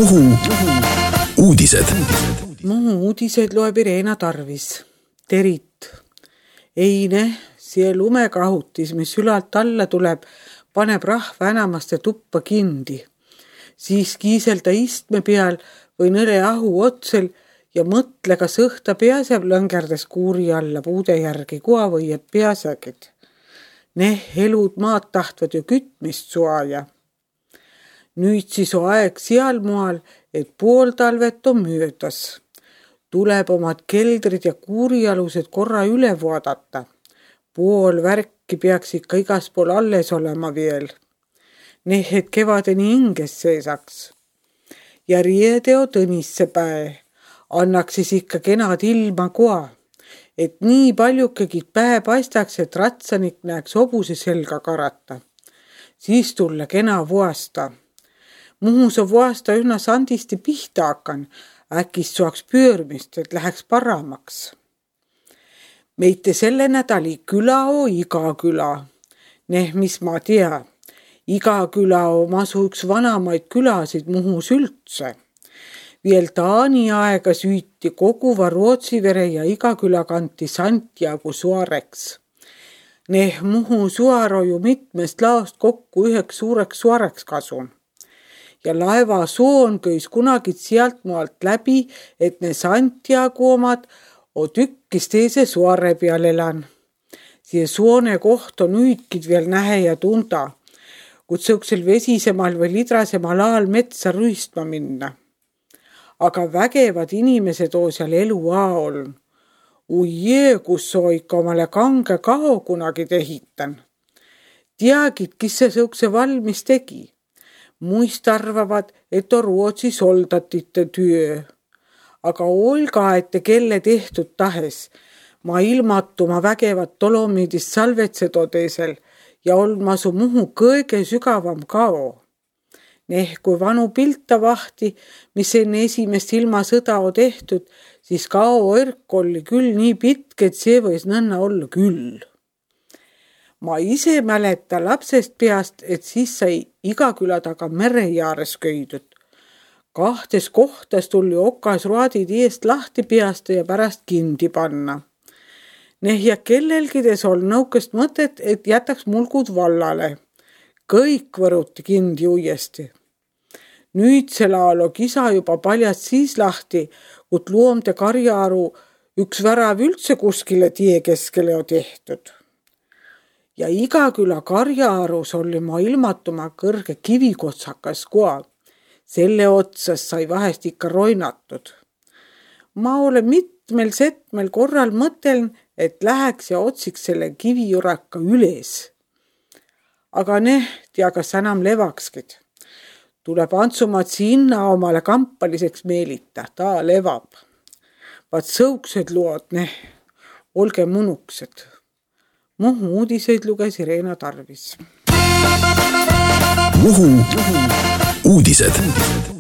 Muhu uudised. Muhu uudised loeb Irena Tarvis. Terit. Eine, see lumekahutis, mis ülalt alla tuleb, paneb rahva enamaste tuppa kindi. Siis kiiselda istme peal või nõle ahu otsel ja mõtle, kas õhta peaseb lõngerdes kuuri alla puude järgi, kua võieb peasegid. Elud maad tahtvad ju kütmist suaja. Nüüd siis on aeg seal moal, et pool talvet on möödas. Tuleb omad keldrid ja kuurialused korra üle vaadata. Pool värki peaks ikka igas pool alles olema veel. Et kevadeni hinges seisaks. Ja riedeo Tõnisse päe. Annaks siis ikka kenad ilma koa. Et nii paljukegi päe paistaks, et ratsanik näeks hobuse selga karata. Siis tulla kena vuasta. Muhus on vuasta üsna sandisti pihta hakkan. Äkist suaks pöörmist, et läheks paramaks. Meite selle nädali küla on Iga küla. Mis ma tea. Iga küla on masu üks vanamaid külasid Muhus üldse. Veel Taani aega süüti koguva Rootsivere ja Iga küla kanti Santiago suareks. Muhu suar on ju mitmest laost kokku üheks suureks suareks kasun. Ja laeva soon köis kunagi sealt maalt läbi, et ne Santiago omad on tükkis teise suare peal elan. See soone koht on nüüdkid veel nähe ja tunda, kui sõuksel vesisemal või lidrasemal aal metsa rüüstma minna. Aga vägevad inimesed on seal elu aol. Ujjee, kus on ikka omale kange kao kunagi tehitan. Teagid, kes see sõukse valmis tegi. Muist arvavad, et on Rootsi soldatite työ. Aga olga, et kelle tehtud tahes. Ma ilmatuma vägevat Dolomiidist salvetsed odeesel ja olma su Muhu kõige sügavam kao. Kui vanu pilta vahti, mis enne esimest ilmasõda on tehtud, siis kao õrk oli küll nii pitk, et see võis nõnna olla küll. Ma ise mäleta lapsest peast, et siis sai Iga küla taga mere jaares köidud. 2 kohtas tuli okas ruadid eest lahti peasta ja pärast kindi panna. Ja kellelgides on nõukest mõtet, et jätaks mulgud vallale. Kõik võruti kindi uuesti. Nüüd selle ajal on kisa juba paljast siis lahti, kui loomde karjaaru üks värav üldse kuskile tie keskele on tehtud. Ja Iga küla karjaarus oli ma ilmatuma kõrge kivikotsakas koa. Selle otsas sai vahest ikka roinatud. Ma olen mitmel korral mõteln, et läheks ja otsiks selle kivijuraka üles. Aga tea, kas enam levakskid. Tuleb Antsumaad sinna omale kampaliseks meelita, ta levab. Vaat sõuksed lood, olge munuksed. Muhu uudiseid luges Irena Tarvis. Muhu uudised.